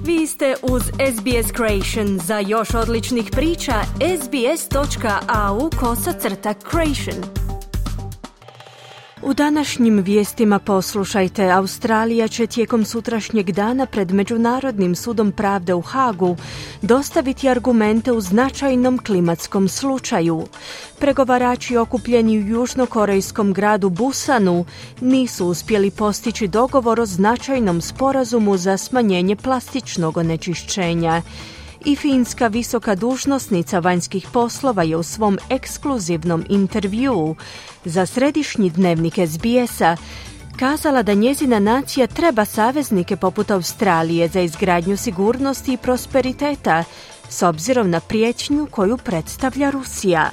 Vi ste uz SBS Creation. Za još odličnih priča, sbs.au/creation. U današnjim vijestima poslušajte, Australija će tijekom sutrašnjeg dana pred Međunarodnim sudom pravde u Hagu dostaviti argumente u značajnom klimatskom slučaju. Pregovarači okupljeni u južnokorejskom gradu Busanu nisu uspjeli postići dogovor o značajnom sporazumu za smanjenje plastičnog onečišćenja. I finska visoka dužnosnica vanjskih poslova je u svom ekskluzivnom intervjuu za središnji dnevnik SBS-a kazala da njezina nacija treba saveznike poput Australije za izgradnju sigurnosti i prosperiteta s obzirom na prijetnju koju predstavlja Rusija.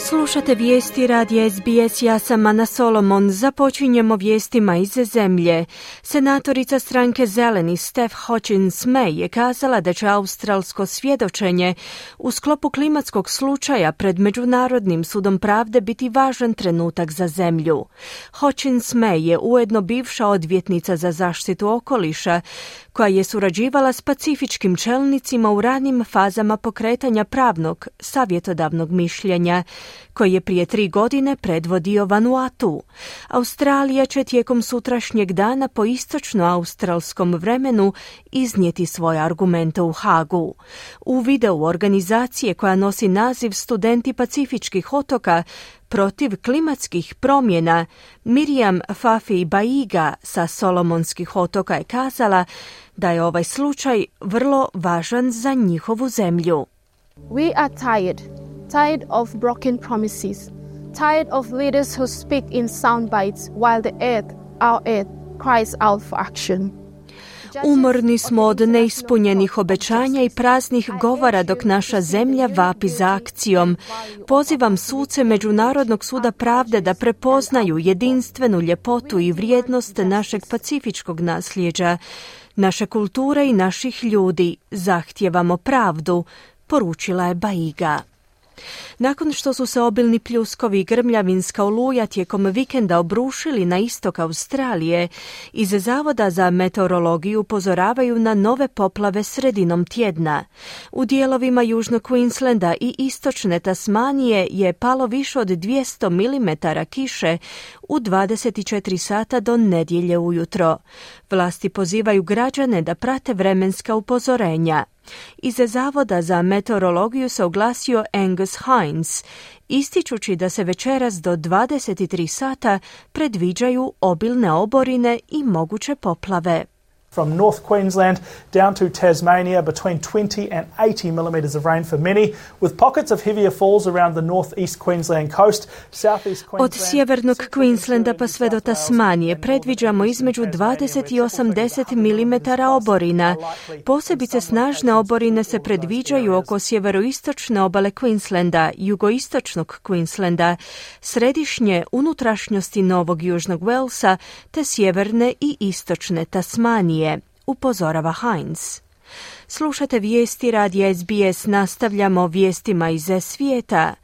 Slušate vijesti radija SBS, ja sam Ana Solomon. Započinjemo vijestima iz zemlje. Senatorica stranke Zeleni Steph Hodgkins-May je kazala da će australsko svjedočenje u sklopu klimatskog slučaja pred Međunarodnim sudom pravde biti važan trenutak za zemlju. Hodgkins-May je ujedno bivša odvjetnica za zaštitu okoliša koja je surađivala s pacifičkim čelnicima u ranim fazama pokretanja pravnog savjetodavnog mišljenja koji je prije 3 godine predvodio Vanuatu. Australija će tijekom sutrašnjeg dana po istočno-australskom vremenu iznijeti svoje argumente u Hagu. U videu organizacije koja nosi naziv Studenti pacifičkih otoka protiv klimatskih promjena, Miriam Fafi Baiga sa Solomonskih otoka je kazala da je ovaj slučaj vrlo važan za njihovu zemlju. We are tired of broken promises, tired of leaders who speak in sound bites while our earth cries out for action. Umorni smo od neispunjenih obećanja i praznih govora dok naša zemlja vapi za akcijom. Pozivam suce Međunarodnog suda pravde da prepoznaju jedinstvenu ljepotu i vrijednost našeg pacifičkog nasljeđa, naše kulture i naših ljudi. Zahtijevamo pravdu, poručila je Baiga. Nakon što su se obilni pljuskovi i grmljavinska oluja tijekom vikenda obrušili na istok Australije, iz Zavoda za meteorologiju upozoravaju na nove poplave sredinom tjedna. U dijelovima južnog Queenslanda i istočne Tasmanije je palo više od 200 mm kiše u 24 sata do nedjelje ujutro. Vlasti pozivaju građane da prate vremenska upozorenja. Iz Zavoda za meteorologiju se oglasio Angus Hines, ističući da se večeras do 23 sata predviđaju obilne oborine i moguće poplave. From North Queensland down to Tasmania, between 20 and 80 millimetres of rain for many, with pockets of heavier falls around the northeast Queensland coast, southeast Queensland. Od sjevernog Queenslanda pa sve do Tasmanije predviđamo između 20 i 80 mm oborina. Posebice snažne oborine se predviđaju oko sjeveroistočne obale Queenslanda, jugoistočnog Queenslanda, središnje unutrašnjosti Novog Južnog Walesa te sjeverne i istočne Tasmanije, upozorava Hines. Slušate vijesti radija SBS, nastavljamo vijestima iz svijeta.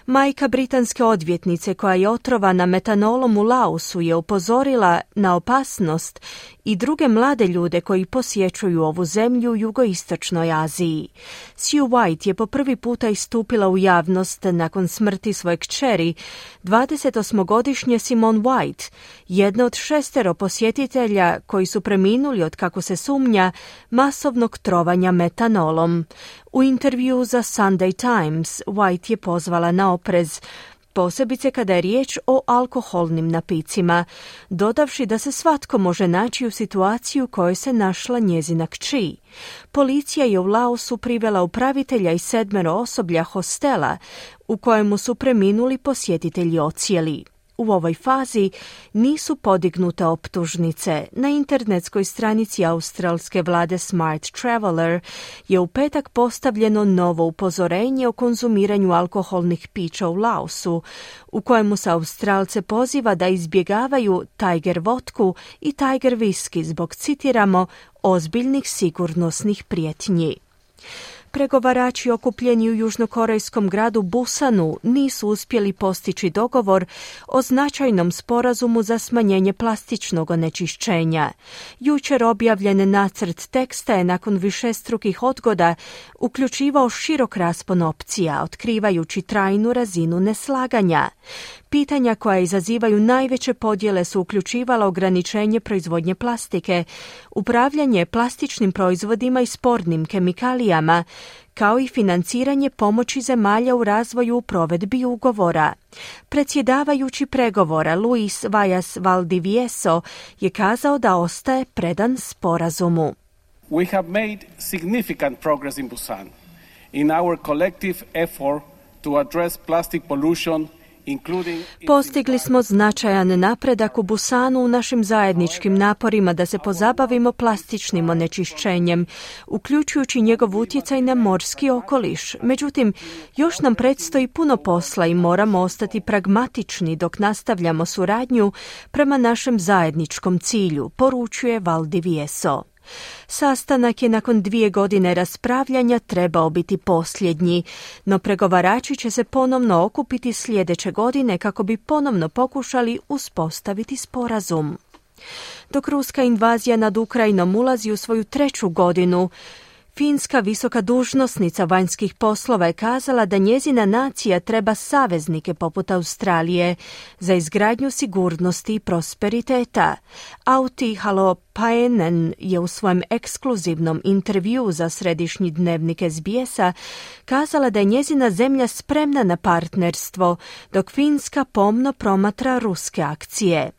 Majka britanske odvjetnice koja je otrovana metanolom u Laosu je upozorila na opasnost i druge mlade ljude koji posjećuju ovu zemlju u jugoistočnoj Aziji. Sue White je po prvi puta istupila u javnost nakon smrti svoje kćeri, 28-godišnje Simone White, jedna od 6 posjetitelja koji su preminuli od, kako se sumnja, masovnog trovanja metanolom. U intervju za Sunday Times White je pozvala na oprez, posebice kada je riječ o alkoholnim napicima, dodavši da se svatko može naći u situaciju u kojoj se našla njezina kći. Policija je u Laosu privela upravitelja i 7 osoblja hostela u kojemu su preminuli posjetitelji ocijeli. U ovoj fazi nisu podignute optužnice. Na internetskoj stranici australske vlade Smart Traveller je u petak postavljeno novo upozorenje o konzumiranju alkoholnih pića u Laosu, u kojemu se Australce poziva da izbjegavaju Tiger vodku i Tiger whisky zbog, citiramo, ozbiljnih sigurnosnih prijetnji. Pregovarači okupljeni u južnokorejskom gradu Busanu nisu uspjeli postići dogovor o značajnom sporazumu za smanjenje plastičnog onečišćenja. Jučer objavljen nacrt teksta je nakon višestrukih odgoda uključivao širok raspon opcija, otkrivajući trajnu razinu neslaganja. Pitanja koja izazivaju najveće podjele su uključivala ograničenje proizvodnje plastike, upravljanje plastičnim proizvodima i spornim kemikalijama, kao i financiranje pomoći zemalja u razvoju u provedbi ugovora. Predsjedavajući pregovora Luis Vallas Valdivieso je kazao da ostaje predan sporazumu. We have made significant progress in Busan in our collective effort to address plastic pollution. Postigli smo značajan napredak u Busanu u našim zajedničkim naporima da se pozabavimo plastičnim onečišćenjem, uključujući njegov utjecaj na morski okoliš. Međutim, još nam predstoji puno posla i moramo ostati pragmatični dok nastavljamo suradnju prema našem zajedničkom cilju, poručuje Valdivieso. Sastanak je nakon 2 godine raspravljanja trebao biti posljednji, no pregovarači će se ponovno okupiti sljedeće godine kako bi ponovno pokušali uspostaviti sporazum. Dok ruska invazija nad Ukrajinom ulazi u svoju 3. godinu, finska visoka dužnosnica vanjskih poslova je kazala da njezina nacija treba saveznike poput Australije za izgradnju sigurnosti i prosperiteta. Auti Halopainen je u svojem ekskluzivnom intervjuu za središnji dnevnik SBS-a kazala da je njezina zemlja spremna na partnerstvo, dok Finska pomno promatra ruske akcije.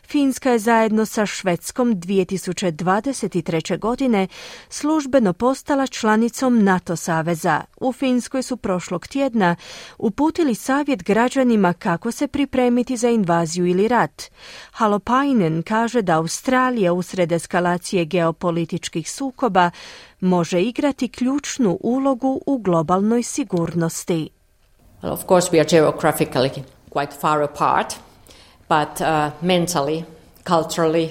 Finska je zajedno sa Švedskom 2023. godine službeno postala članicom NATO saveza. U Finskoj su prošlog tjedna uputili savjet građanima kako se pripremiti za invaziju ili rat. Halopainen kaže da Australija usred eskalacije geopolitičkih sukoba može igrati ključnu ulogu u globalnoj sigurnosti. Well, of course we are geographically quite far apart. But mentally, culturally,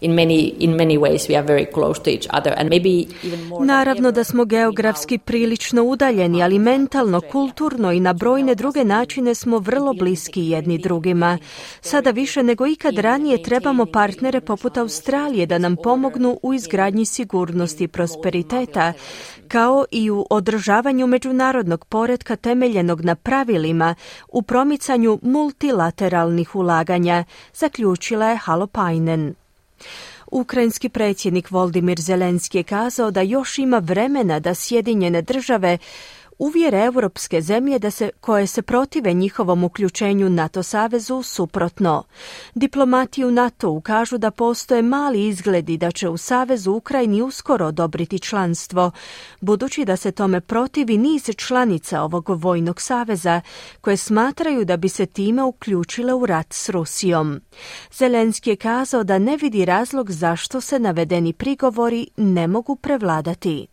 in many ways we are very close to each other and maybe even more. Naravno da smo geografski prilično udaljeni, ali mentalno, kulturno i na brojne druge načine smo vrlo bliski jedni drugima. Sada više nego ikad ranije trebamo partnere poput Australije da nam pomognu u izgradnji sigurnosti i prosperiteta, kao i u održavanju međunarodnog poretka temeljenog na pravilima u promicanju multilateralnih ulaganja, zaključila je Halopainen. Ukrajinski predsjednik Volodymyr Zelenski je kazao da još ima vremena da Sjedinjene države uvjere europske zemlje koje se protive njihovom uključenju NATO savezu suprotno. Diplomati u NATO-u kažu da postoje mali izgledi da će u savezu Ukrajini uskoro odobriti članstvo, budući da se tome protivi niz članica ovog vojnog saveza, koje smatraju da bi se time uključile u rat s Rusijom. Zelenski je kazao da ne vidi razlog zašto se navedeni prigovori ne mogu prevladati.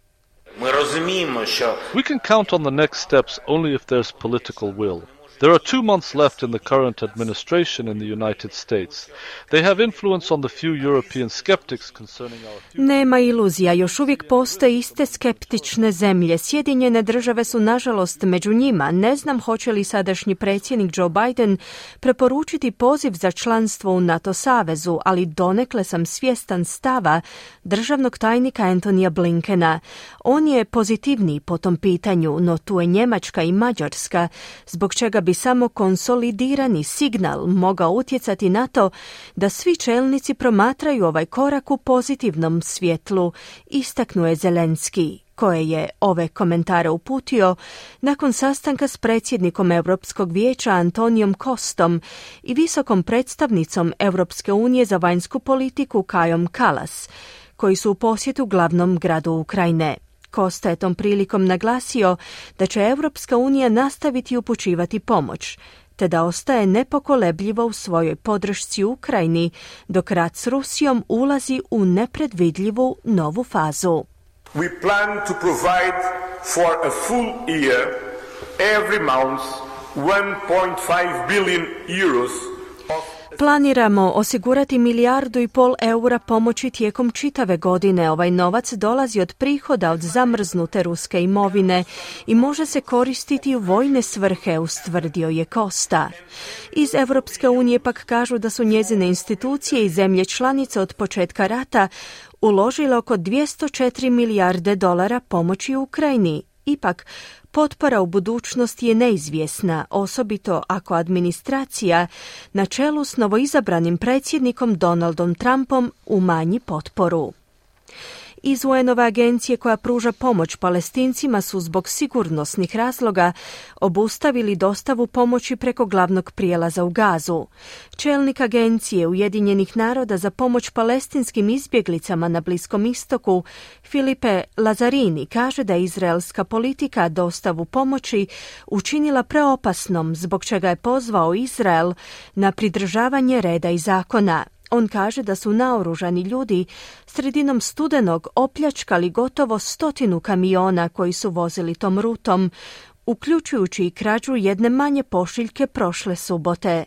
We can count on the next steps only if there's political will. There are 2 months left in the current administration in the United States. They have influence on the few European skeptics concerning our future. Nema iluzija, još uvijek postoje iste skeptične zemlje. Sjedinjene države su nažalost među njima. Ne znam hoće li sadašnji predsjednik Joe Biden preporučiti poziv za članstvo u NATO savezu, ali donekle sam svjestan stava državnog tajnika Antonija Blinkena. On je pozitivniji po tom pitanju, no tu je Njemačka i Mađarska, zbog čega bi samo konsolidirani signal mogao utjecati na to da svi čelnici promatraju ovaj korak u pozitivnom svjetlu, istaknuo je Zelenski, koje je ove komentare uputio nakon sastanka s predsjednikom Europskog vijeća Antonijom Kostom i visokom predstavnicom Europske unije za vanjsku politiku Kajom Kallas, koji su u posjetu glavnom gradu Ukrajine. Kosta je tom prilikom naglasio da će Europska unija nastaviti upućivati pomoć, te da ostaje nepokolebljivo u svojoj podršci Ukrajini, dok rat s Rusijom ulazi u nepredvidljivu novu fazu. We plan to provide for a full year, every month, 1.5 billion euros. Planiramo osigurati 1,5 milijardu eura pomoći tijekom čitave godine. Ovaj novac dolazi od prihoda od zamrznute ruske imovine i može se koristiti u vojne svrhe, ustvrdio je Costa. Iz Europske unije pak kažu da su njezine institucije i zemlje članice od početka rata uložile oko 204 milijarde dolara pomoći Ukrajini. Ipak, potpora u budućnosti je neizvjesna, osobito ako administracija na čelu s novoizabranim predsjednikom Donaldom Trumpom umanji potporu. Iz UN-ove agencije koja pruža pomoć Palestincima su zbog sigurnosnih razloga obustavili dostavu pomoći preko glavnog prijelaza u Gazu. Čelnik agencije Ujedinjenih naroda za pomoć palestinskim izbjeglicama na Bliskom istoku, Filipe Lazzarini, kaže da je izraelska politika dostavu pomoći učinila preopasnom, zbog čega je pozvao Izrael na pridržavanje reda i zakona. On kaže da su naoružani ljudi sredinom studenog opljačkali gotovo 100 kamiona koji su vozili tom rutom, uključujući i krađu jedne manje pošiljke prošle subote.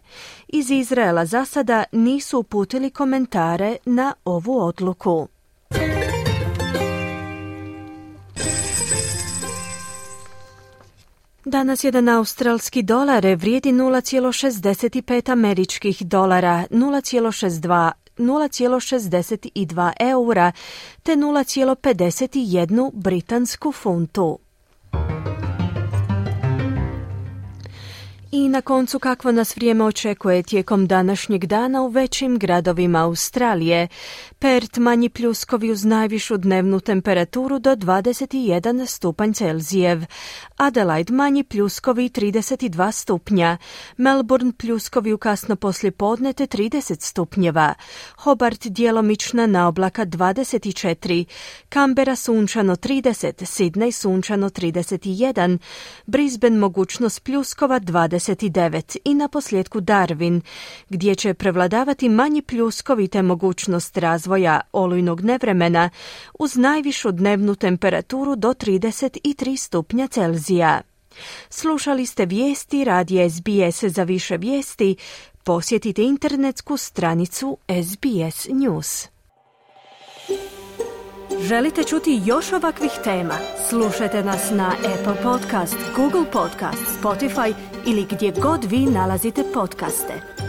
Iz Izraela za sada nisu uputili komentare na ovu odluku. Danas jedan australski dolar vrijedi 0,65 američkih dolara, 0,62 eura te 0,51 britansku funtu. I na koncu kakvo nas vrijeme očekuje tijekom današnjeg dana u većim gradovima Australije. Perth manji pljuskovi uz najvišu dnevnu temperaturu do 21 stupanj Celzijev. Adelaide manji pljuskovi 32 stupnja. Melbourne pljuskovi u kasno poslijepodne te 30 stupnjeva. Hobart djelomična naoblaka 24. Canberra sunčano 30. Sydney sunčano 31. Brisbane mogućnost pljuskova 29. I na posljedku Darwin, gdje će prevladavati manji pljuskovi te mogućnost razvoja olujnog nevremena uz najvišu dnevnu temperaturu do 33 stupnja Celzija. Slušali ste vijesti radija SBS. Za više vijesti posjetite internetsku stranicu SBS News. Želite čuti još ovakvih tema? Slušajte nas na Apple Podcast, Google Podcast, Spotify ili gdje god vi nalazite podcaste.